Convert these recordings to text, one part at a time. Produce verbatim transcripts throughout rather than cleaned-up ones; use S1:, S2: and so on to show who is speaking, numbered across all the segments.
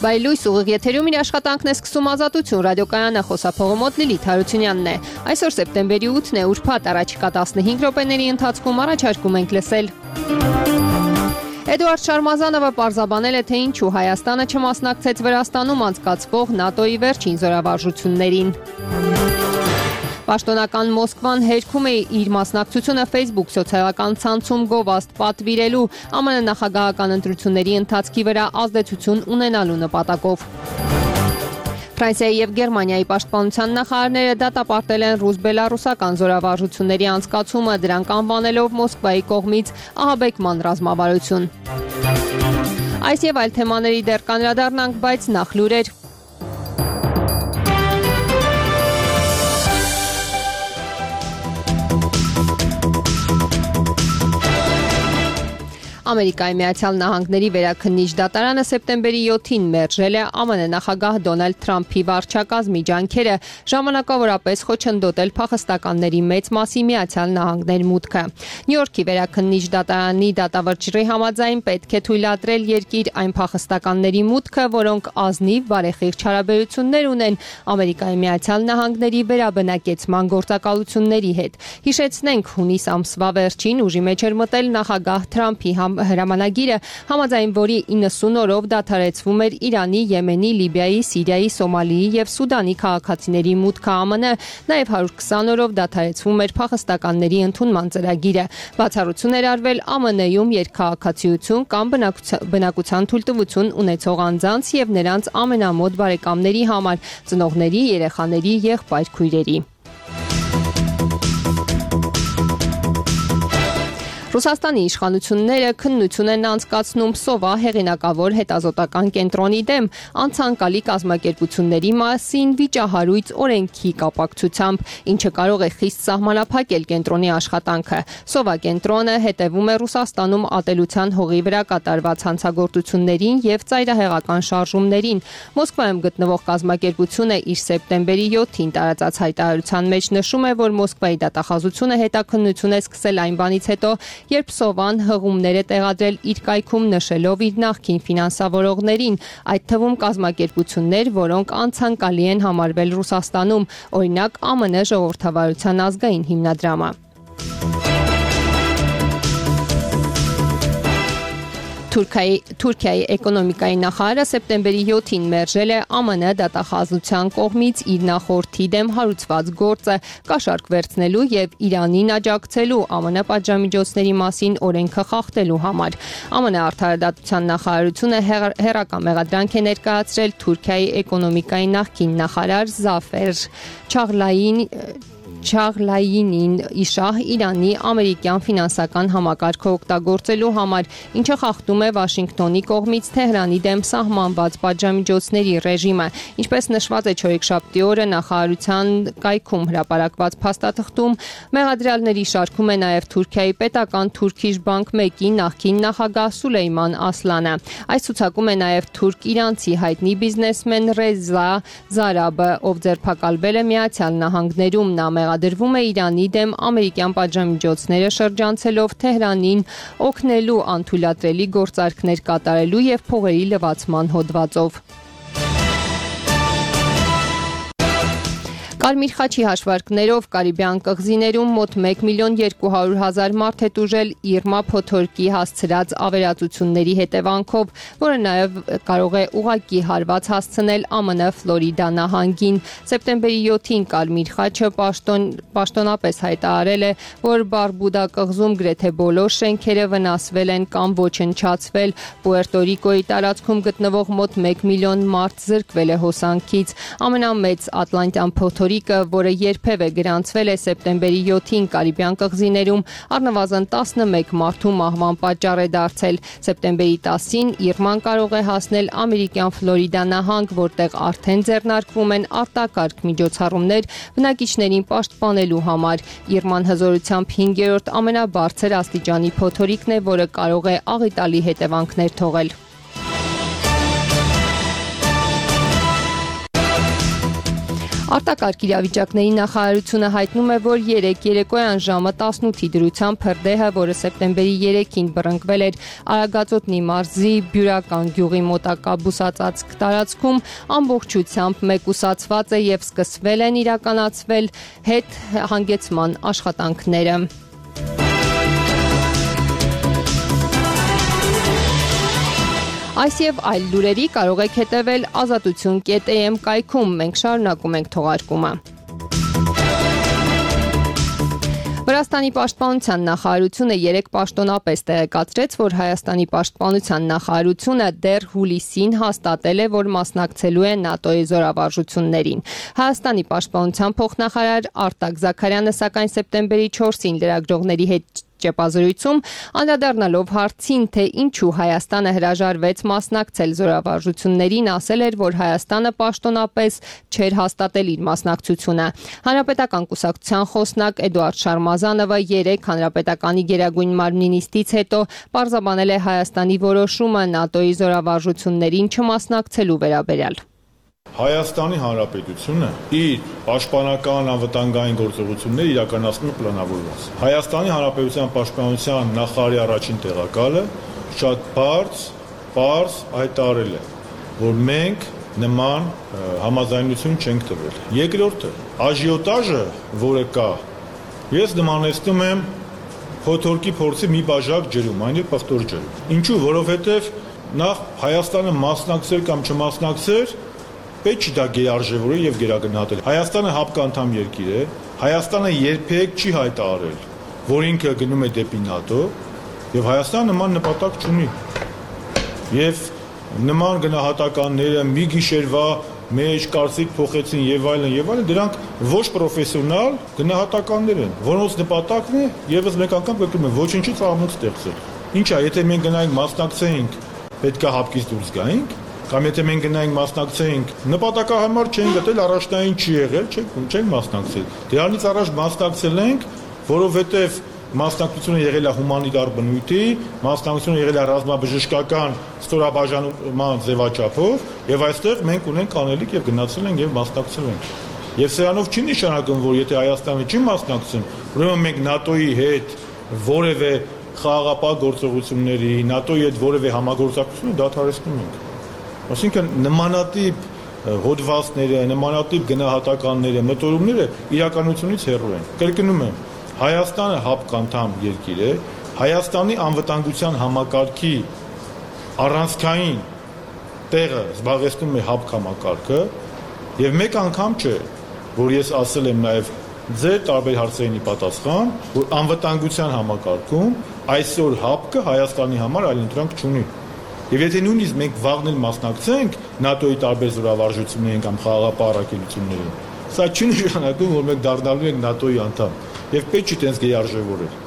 S1: Բայ լույս ուղիղ եթերում իր աշխատանքն է սկսում Ազատություն ռադիոկայանը, խոսափողը մոտ Լիլիթ Հարությունյանն է։ Այսօր սեպտեմբերի ութն է, ուրբաթ, առաջիկա տասնհինգ րոպեների ընթացքում առաջարկում ենք լսել։ Էդուարդ Շարմազանովը պարզաբանել է, թե ինչու Հայաստանը չմասնակցեց Վրաստանում անցկացվող ՆԱՏՕ-ի վերջին զորավարժություններին։ Պաշտոնական Մոսկվան հերքում է իր մասնակցությունը Facebook սոցիալական ցանցում գովազդ պատվիրելու ԱՄՆ նախագահական ընտրությունների ընթացքի վրա ազդեցություն ունենալու նպատակով։ Ֆրանսիայի եւ Գերմանիայի պաշտպանության նախարարները դատապարտել են ռուս-բելարուսական զորավարժությունների անցկացումը, դրանք անվանելով Մոսկվայի կողմից ահաբեկման ռազմավարություն։ Այս եւ այլ թեմաների դեռ կանդրադառնանք, բայց նախ լուրեր։ Ամերիկայի Միացյալ Նահանգների վերաքննիչ դատարանը սեպտեմբերի յոթին մերժել է ԱՄՆ նախագահ Դոնալդ Թրամփի վարչակազմի ջանքերը ժամանակավորապես խոչընդոտել փախստականների մեծ մասի Միացյալ Նահանգներ մուտքը։ Նյու Յորքի վերաքննիչ դատարանի դատավճիռի համաձայն պետք է թույլատրել երկիր այն փախստականների մուտքը, որոնք ազնիվ բարեխիղճ հարաբերություններ ունեն Ամերիկայի Միացյալ Նահանգների վերաբնակեցման գործակալությունների հետ։ Հիշեցնենք, հունիս ամսվա վերջին ուժի մեջ էր մտել նախագահ Թրամփի հրամանագիրը, համաձայն որի իննսուն օրով դադարեցվում էր Իրանի, Եմենի, Լիբիայի, Սիրիայի, Սոմալիի եւ Սուդանի քաղաքացիների մուտքը ԱՄՆ, նաեւ հարյուր քսան օրով դադարեցվում էր փախստականների ընդունման ծրագիրը։ Բացառություն էր արվել ԱՄՆ-ում երկքաղաքացիություն կամ բնակության թույլտվություն ունեցող անձանց եւ նրանց ամենամոտ բարեկամների համար, ծնողների, երեխաների, եղբայր-քույրերի։ Ռուսաստանի իշխանությունները քննություն են անցկացնում Սովա հեղինակավոր հետազոտական կենտրոնի դեմ անցանկալի կազմակերպությունների մասին վիճահարույց օրենքի կապակցությամբ, ինչը կարող է խիստ սահմանափակել կենտրոնի աշխատանքը։ Սովա կենտրոնը հետևում է Ռուսաստանում ատելության հողի վրա կատարված հանցագործություններին եւ ծայրահեղական շարժումներին։ Մոսկվայում գտնվող կազմակերպությունը իր սեպտեմբերի յոթին տարածած հայտարարության մեջ նշում է, որ Մոսկվայի դատախազությունը հետաքննություն է սկսել այն բանից հետո, երբ Սովան հղումներ է տեղադրել իր կայքում, նշելով իր նախկին ֆինանսավորողներին, այդ թվում կազմակերպություններ, որոնք անցանկալի են համարվել Ռուսաստանում, օրինակ ԱՄՆ ժողովրդավարության ազգային հիմնադրամը։ Թուրքիայի, Թուրքիայի էկոնոմիկայի նախարարը սեպտեմբերի յոթին մերժել է ԱՄՆ դատախազության կողմից իր նախորդի դեմ հարուցված գործը կաշառք վերցնելու եւ Իրանին աջակցելու ԱՄՆ պատժամիջոցների մասին օրենքը խախտելու համար։ ԱՄՆ արդարադատության նախարարությունը հերական մեղադրանք է ներկայացրել Թուրքիայի էկոնոմիկայի նախկին նախարար Զաֆեր Չաղլային Չաղլայինին իշահ Իրանի ամերիկյան ֆինանսական համակարգը օգտագործելու համար, ինչը խախտում է Վաշինգտոնի կողմից Թեհրանի դեմ սահմանված պատժամիջոցների ռեժիմը։ Ինչպես նշված է չորեքշաբթի օրը նախարարության կայքում հրապարակված փաստաթղթում, մեղադրյալների շարքում է նաև Թուրքիայի պետական Turkish Bank մեկի նախկին նախագահ Սուլեյման Ասլանը։ Այս ցուցակում է նաև թուրք-իրանցի հայտնի բիզնեսմեն Ռեզա Զարաբը, ով ձերբակալվել է Միացյալ Նահանգներում։ Նա մեղադրվում է Իրանի դեմ ամերիկյան պատժամիջոցները շրջանցելով Թեհրանին օգնելու անթույլատրելի գործարքներ կատարելու եւ փողերի լվացման հոդվածով։ Կարմիր խաչի հաշվարկներով Կարիբյան կղզիներում մոտ մեկ միլիոն երկու հարյուր հազար մարդ է տուժել Իրմա փոթորկի հասցրած ավերածությունների հետևանքով, որը նաև կարող է ուղղակի հարված հասցնել ԱՄՆ Ֆլորիդա նահանգին։ Սեպտեմբերի յոթին Կարմիր խաչը պաշտոն, պաշտոնապես հայտարարել է, որ Բարբուդա կղզում գրեթե բոլոր շենքերը վնասվել են կամ ոչնչացվել։ Պուերտո Ռիկոյի տարածքում գտնվող մոտ մեկ միլիոն մարդ զրկվել է հոսանքից։ Ամենամեծ Ատլանտյան փոթորիկ որը երբևէ գրանցվել է սեպտեմբերի յոթին Կարիբյան կղզիներում, առնվազն տասնմեկ մարդու մահվան պատճառ է դարձել։ Սեպտեմբերի տասին Իրման կարող է հասնել ամերիկյան Ֆլորիդա նահանգ, որտեղ արդեն ձեռնարկվում են արտակարգ միջոցառումներ բնակիչներին պաշտպանելու համար։ Իրման հզորությամբ հինգերորդ ամենաբարձր աստիճանի փոթորիկն է, որը կարող է աղետալի հետևանքներ թողել։ Արտակարգ իրավիճակների նախարարությունը հայտնում է, որ երեկ երեկոյան ժամը տասնութի դրությամբ հրդեհը, որը սեպտեմբերի երեքին բռնկվել էր Արագածոտնի մարզի Բյուրական գյուղի մոտակա բուսածածկ տարածքում, ամբողջությամբ մեկուսացված է եւ սկսվել են իրականացվել հետ հանգեցման աշխատանքները։ Այս եւ այլ լուրերի կարող եք հետևել ազատություն կետ է էմ կայքում, մենք շարունակում ենք թողարկումը։ Վրաստանի պաշտպանության նախարարությունը երեկ պաշտոնապես տեղեկացրեց, որ Հայաստանի պաշտպանության նախարարությունը դեռ հուլիսին հաստատել է, որ մասնակցելու է ՆԱՏՕ-ի զորավարժություններին։ Հայաստանի պաշտպանության փոխնախարար Արտակ Զաքարյանը սակայն սեպտեմբերի չորսին լրագրողների հետ ճեպազրույցում անդրադառնալով հարցին, թե ինչու Հայաստանը հրաժարվեց մասնակցել զորավարժություններին, ասել էր, որ Հայաստանը պաշտոնապես չէր հաստատել իր մասնակցությունը։ Հանրապետական կուսակցության խոսնակ Էդուարդ Շարմազանովը երեկ Հանրապետականի գերագույն մարմնի նիստից հետո պարզաբանել է Հայաստանի որոշումը ՆԱՏՕ-ի զորավարժություններին չմասնակցելու վերաբերյալ։
S2: Հայաստանի Հանրապետությունը իր պաշտպանական անվտանգային գործողությունները իրականացնում է պլանավորված։ Հայաստանի Հանրապետության պաշտպանության նախարարի առաջին տեղակալը շատ բարձ, պարզ հայտարարել է, որ մենք նման համաձայնություն չենք տվել։ Երկրորդը, աժիոտաժը, որը կա, ես նմանեցնում եմ փոթորկի փորձի մի բաժակ ջրում, այն է պղտոր ջրում։ Ինչու, որովհետև նախ Հայաստանը մասնակցել կամ չմասնակցել պետք չի դա գերարժևորել եւ գերագնահատել։ Հայաստանը հապկանդամ երկիր է, Հայաստանը երբեք չի հայտարարել, որ ինքը գնում է դեպի ՆԱՏՕ, եւ Հայաստանը նման նպատակ չունի։ Եվ նման գնահատականները մի գիշերվա մեջ կարծիք փոխեցին եւ այլն եւ այլն, դրանք ոչ պրոֆեսիոնալ գնահատականներ են, որոնց նպատակն է եւս մեկ անգամ կրկնում եմ, ոչինչից աղմուկ ստեղծել։ Ինչա, եթե մենք գնայինք մասնակցեինք, պետքա հապկից դուրս գայինք, կամ եթե մենք գնայինք մասնակցեինք, նպատակահարմար չենք գտել, առաջնային չի եղել, չենք չենք մասնակցել։ Դրանից առաջ մասնակցել ենք, որովհետև մասնակցությունը եղել է հումանիտար բնույթի, մասնակցությունը եղել է ռազմաբժշկական ստորաբաժանման ձևաչափով, եւ այստեղ մենք ունենք անելիք եւ գնացել ենք եւ մասնակցել ենք։ Եվ սրանով չի նշանակում, որ եթե Հայաստանը չի մասնակցում, ուրեմն մենք ՆԱՏՕ-ի հետ որևէ խաղաղապահ գործողությունների, ՆԱՏՕ-ի հետ որևէ համագործակցություն դադարեցնում ենք։ Այսինքն նմանատիպ հոդվածները, նմանատիպ գնահատականները, մտորումները իրականությունից հեռու են։ Կրկնում եմ, Հայաստանը հապկանդամ երկիր է, Հայաստանի անվտանգության համակարգի առանցքային տեղը զբաղեցնում է հապկ համակարգը, եւ մեկ անգամ չէ, որ ես ասել եմ նաեւ ձեր տարբեր հարցերին պատասխան, որ անվտանգության համակարգում այսօր հապկը Հայաստանի համար այլընտրանք չունի։ Եվ եթե նույնիսկ մենք վաղն էլ մասնակցենք ՆԱՏՕ-ի տարբեր զորավարժություններին կամ խաղաղապահ առաքելություններին, սա չի նշանակում, որ մենք դառնալու ենք ՆԱՏՕ-ի անդամ, եւ պետք չի տենց գերարժևորել։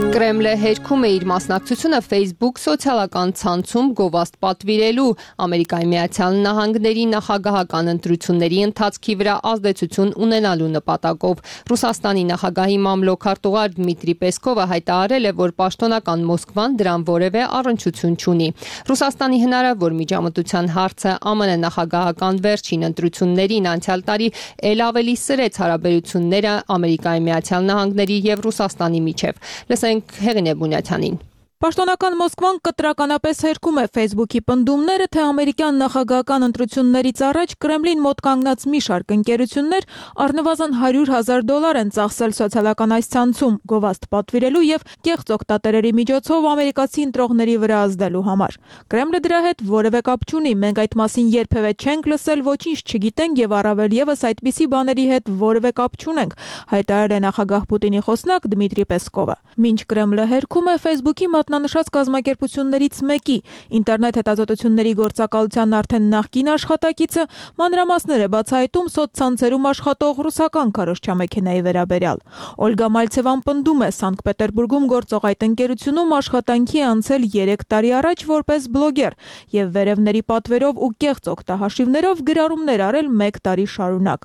S1: Կրեմլը հերքում է իր մասնակցությունը Facebook սոցիալական ցանցում գովաստ պատվիրելու Ամերիկայի Միացյալ Նահանգների նախագահական ընտրությունների ընթացքի վրա ազդեցություն ունենալու նպատակով։ Ռուսաստանի նախագահի մամլոք-արտուղար Դմիտրի Պեսկովը հայտարարել է, որ պաշտոնական Մոսկվան դրան որևէ առնչություն չունի։ Ռուսաստանի հնարավոր միջամտության հարցը ԱՄՆ նախագահական վերջին ընտրություններին անցյալ տարի ել ավելի սրեց հարաբերությունները Ամերիկայի Միացյալ Նահանգների եւ Ռուսաստանի միջև։ Լսենք Հեղինե Բունյաթյանին։
S3: Պաշտոնական Մոսկվան կտրականապես հերքում է Facebook-ի պնդումները, թե ամերիկյան նախագահական ընտրություններից առաջ Կրեմլին մոտ կանգնած մի շարք ընկերություններ առնվազն հարյուր հազար դոլար են ծախսել սոցիալական այս ցանցում գովաստ պատվիրելու եւ կեղծ օգտատերերի միջոցով ամերիկացի ընտրողների վրա ազդելու համար։ Կրեմլը դրա հետ որևէ կապ չունի, մենք այդ մասին երբևէ չենք լսել, ոչինչ չգիտենք եւ առավել եւս այդպիսի բաների հետ որևէ կապ չունենք, հայտարարել է նախագահ Պուտինի խոսնակ Դմիտրի Պեսկովը։ Մինչ Կրեմլը հերքում է Facebook-ի մատնանշած կազմակերպություններից մեկի ինտերնետ հետազոտությունների գործակալության արդեն նախկին աշխատակիցը մանրամասներ է բացահայտում սոցցանցերում աշխատող ռուսական քարոզչամեքենայի վերաբերյալ։ Օլգա Մալցևան պնդում է, Սանկտ Պետերբուրգում գործող այդ ընկերությունում աշխատանքի անցել երեք տարի առաջ որպես բլոգեր եւ վերևների պատվերով ու կեղծ օգտահաշիվներով գրառումներ արել մեկ տարի շարունակ։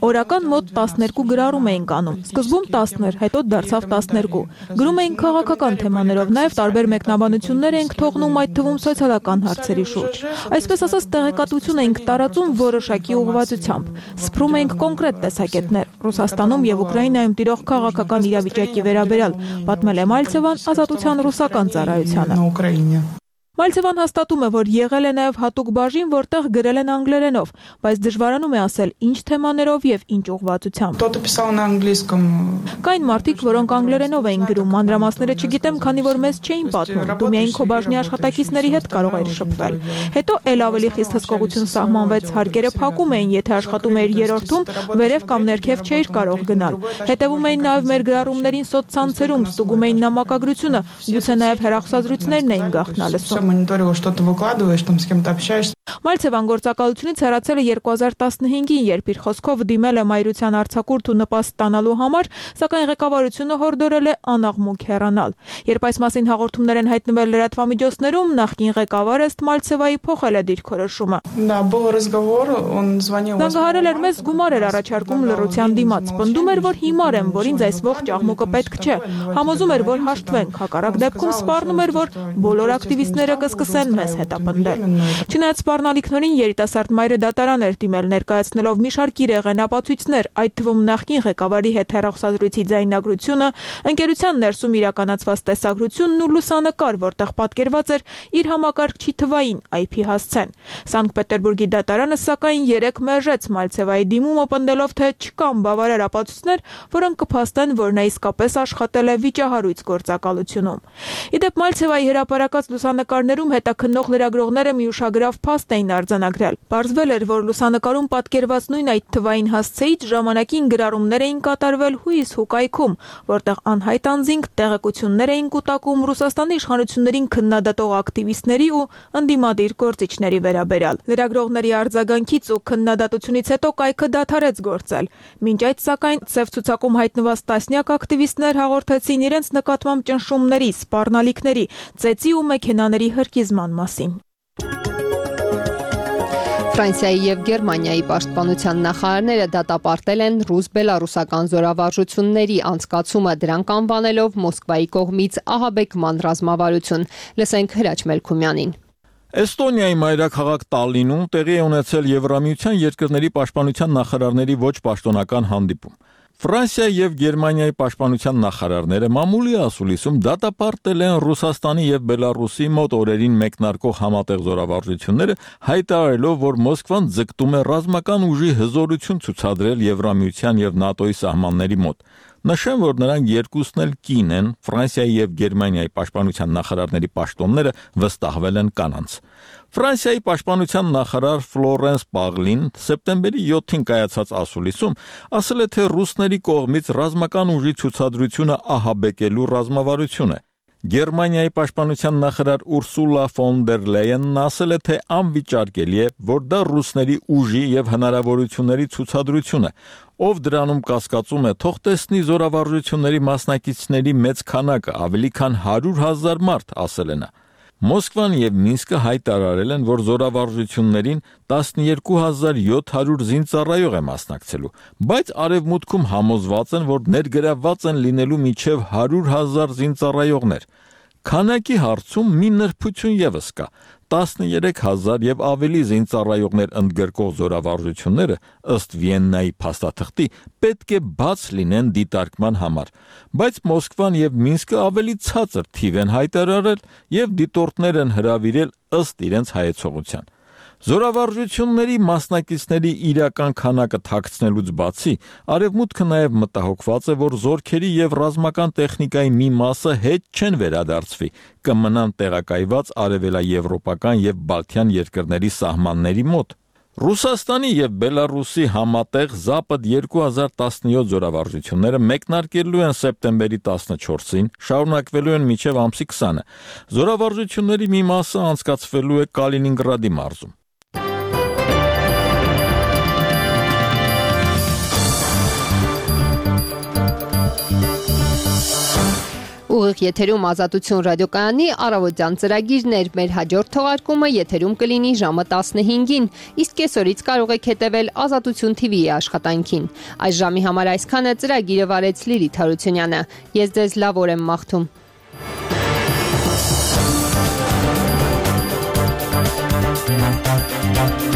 S3: Օրական մոտ տասներկու գրառում էինք անում։ Սկզբում տասն էր, հետո դարձավ տասներկու։ Գրում էինք էին քաղաքական թեմաներով, նաև տարբեր մեկնաբանություններ էինք թողնում, այդ թվում սոցիալական հարցերի շուրջ։ Այսպես ասած, տեղեկատվություն էինք տարածում որոշակի ուղղվածությամբ։ Սփռում էինք կոնկրետ տեսակետներ Ռուսաստանում եւ Ուկրաինայում տիրող քաղաքական իրավիճակի վերաբերյալ, պատմել է Մալցևան Ազատության ռուսական ծառայությանը։ Մալցևան հաստատում է, որ եղել է նաև հատուկ բաժին, որտեղ գրել են անգլերենով, բայց դժվարանում է ասել ինչ թեմաներով եւ ինչ ուղղվածությամբ։ Կային մարդիկ, որոնք անգլերենով էին գրում, մանրամասները չգիտեմ, քանի որ մեզ չէին պատմում, դու միայն քո բաժնի աշխատակիցների հետ կարող էիր շփվել։ Հետո ել ավելի խիստ հսկողություն սահմանվեց, հարկերը փակում էին, եթե աշխատում էիր երրորդում, վերև կամ ներքև չէիր կարող գնալ։ Հետևում էին նաև մեր գրառումներին սոցցանցերում, ստուգում էին նամակագրությունը, գուցե նաև հեռախոսազրույցներն էին գաղտնա լսում։
S4: Мониторила, что ты выкладываешь, там с кем-то общаешься.
S3: Մալցևան գործակալությունից հեռացել է երկու հազար տասնհինգին, երբ իր խոսքով դիմել է մայրության արձակուրդ ու նպաստ ստանալու համար, սակայն ղեկավարությունը հորդորել է անաղմուկ հեռանալ։ Երբ այս մասին հաղորդումներ են հայտնվել լրատվամիջոցներում, նախկին ղեկավարը ըստ Մալցևայի փոխել է դիրքորոշումը։ Զանգահարել էր մեզ, գումար էր առաջարկում լռության դիմաց, պնդում էր, որ հիմար եմ, որ ինձ այս ողջ աղմուկը պետք չէ, համոզում էր, որ հաշտվենք, հակառակ դեպքում սպառնում էր, որ բոլոր ակտիվիստները կսկսեն մեզ հետապնդել։ Չնայած սպառնալիքներին երիտասարդ մայրը դատարան էր դիմել, ներկայացնելով մի շարք իրեղեն ապացույցներ, այդ թվում նախկին ղեկավարի հետ հեռախոսազրույցի ձայնագրությունը, ընկերության ներսում իրականացված տեսագրությունն ու լուսանկար, որտեղ պատկերված էր իր համակարգչի թվային այ փի հասցեն։ Սանկտ Պետերբուրգի դատարանը սակայն երեք մերժեց Մալցևայի դիմումը, պնդելով, թե չկան բավարար ապացույցներ, որոնք կփաստեն, որ նա իսկապես աշխատել է վիճահարույց գործակալությունում։ Իդեպ Մալցևայի հրապարակած լուսանկարներում հետաքննող լրագրողները մի ուշագրավ փաստ էին արձանագրել։ Պարզվել էր, որ լուսանկարում պատկերված նույն այդ թվային հասցեից ժամանակին գրառումներ էին կատարվել հույս հուկայքում, որտեղ անհայտ անձինք տեղեկություններ էին կուտակում Ռուսաստանի իշխանություններին քննադատող ակտիվիստների ու ընդդիմադիր գործիչների վերաբերյալ։ Լրագրողների արձագանքից ու քննադատությունից հետո կայքը դադարեց գործել։ Մինչ այդ, սակայն, սև ցուցակում հայտնված տասնյակ ակտիվիստներ հաղորդեցին իրենց նկատմամբ ճնշումների, սպառնալիքների, ծեծի ու մեքենաների հրկիզման մասին։
S1: Ֆրանսիայի եւ Գերմանիայի պաշտպանության նախարարները դատապարտել են ռուս-բելարուսական զորավարժությունների անցկացումը, դրանք անվանելով Մոսկվայի կողմից ահաբեկման ռազմավարություն։ Լսենք Հրաչ Մելքումյանին։
S5: Էստոնիայի մայրաքաղաք Տալինում տեղի է ունեցել Եվրամիության երկրների պաշտպանության նախարարների ոչ պաշտոնական հանդիպում։ Ֆրանսիայի եւ Գերմանիայի պաշտպանության նախարարները մամուլի ասուլիսում դատապարտել են Ռուսաստանի եւ Բելարուսի մոտ օրերին մեկնարկող համատեղ զորավարժությունները, հայտարարելով, որ Մոսկվան ձգտում է ռազմական ուժի հզորություն ցուցադրել Եվրամիության եւ ՆԱՏՕ-ի սահմանների մոտ։ Նշեմ, որ նրանք երկուսն էլ կին են, Ֆրանսիայի եւ Գերմանիայի պաշտպանության նախարարների պաշտոնները վստահվել են կանանց։ Ֆրանսիայի պաշտպանության նախարար Ֆլորենս Պաղլին սեպտեմբերի յոթին կայացած ասուլիսում ասել է, թե ռուսների կողմից ռազմական ուժի ցուցադրությունը ահաբեկելու ռազմավարություն է։ Գերմանիայի պաշտպանության նախարար Ուրսուլա ֆոն դեր Լեյենն ասել է, թե անվիճարկելի է, որ դա ռուսների ուժի եւ հնարավորությունների ցուցադրություն է, ով դրանում կասկածում է, թող տեսնի զորավարժությունների մասնակիցների մեծ քանակը, ավելի քան հարյուր հազար մարդ, ասել է նա։ Մոսկվան եւ Մինսկը հայտարարել են, որ զորավարժություններին տասնյոթ հազար յոթ հարյուր զինծառայող է մասնակցելու, բայց արևմուտքում համոզված են, որ ներգրավված են լինելու մինչև հարյուր հազար զինծառայողներ։ Քանակի հարցում մի նրբություն եւս կա։ տասներեք հազար եւ ավելի զինծառայողներ ընդգրկող զորավարժությունները ըստ Վիեննայի փաստաթղթի պետք է բաց լինեն դիտարկման համար, բայց Մոսկվան եւ Մինսկը ավելի ցածր թիվ են հայտարարել եւ դիտորդներ են հրավիրել ըստ իրենց հայեցողության։ Զորավարժությունների մասնակիցների իրական քանակը թաքցնելուց բացի, Արևմուտքը նաև մտահոգված է, որ զորքերի եւ ռազմական տեխնիկայի մի մասը հետ չեն վերադարձվի, կմնան տեղակայված արևելաեվրոպական եւ բալթյան երկրների սահմանների մոտ։ Ռուսաստանի եւ Բելարուսի համատեղ Զապադ երկու հազար տասնյոթ զորավարժությունները մեկնարկելու են սեպտեմբերի տասնչորսին, շարունակվելու են մինչև ամսի քսանը։ Զորավարժությունների մի մասը անցկացվելու է Կալինինգրադի մարզում։
S1: Ուղիղ եթերում Ազատություն ռադիոկայանի առավոտյան ծրագիրներ, մեր հաջորդ թողարկումը եթերում կլինի ժամը տասնհինգին, իսկ կեսօրից կարող եք հետևել Ազատություն թի վիի աշխատանքին։ Այս ժամի համար այսքանը, ծրագիրը վարեց Լիլիթ Հարությունյանը։ Ես ձեզ լավ օր եմ մաղթում։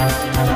S3: Thank you.